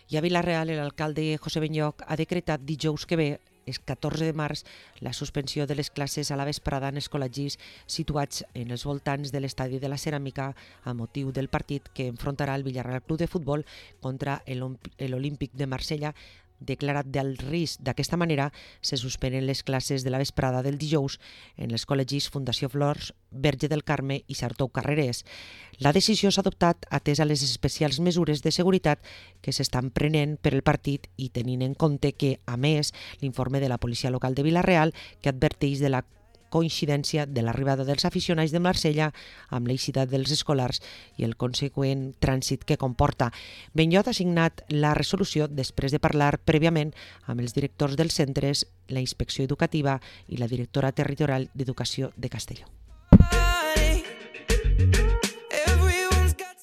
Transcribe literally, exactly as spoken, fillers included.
I a Vila-real, l'alcalde José Benlloch ha decretat dijous que ve, el catorze de març, la suspensió de les classes a la vesprada en els col·legis situats en els voltants de l'estadi de la Ceràmica a motiu del partit que enfrontarà el Villarreal Club de Futbol contra l'Olímpic de Marsella. Declarat d'alt risc. D'aquesta manera, se suspenen les classes de la vesprada del dijous en els col·legis Fundació Flors, Verge del Carme i Sartou Carreres. La decisió s'ha adoptat atès a les especials mesures de seguretat que s'estan prenent per el partit i tenint en compte que, a més, l'informe de la policia local de Vila-real que adverteix de la coincidència de l'arribada dels aficionats de Marsella amb l'eixida dels escolars i el conseqüent trànsit que comporta. Benlloch ha signat la resolució després de parlar prèviament amb els directors dels centres, la inspecció educativa i la directora territorial d'Educació de Castelló.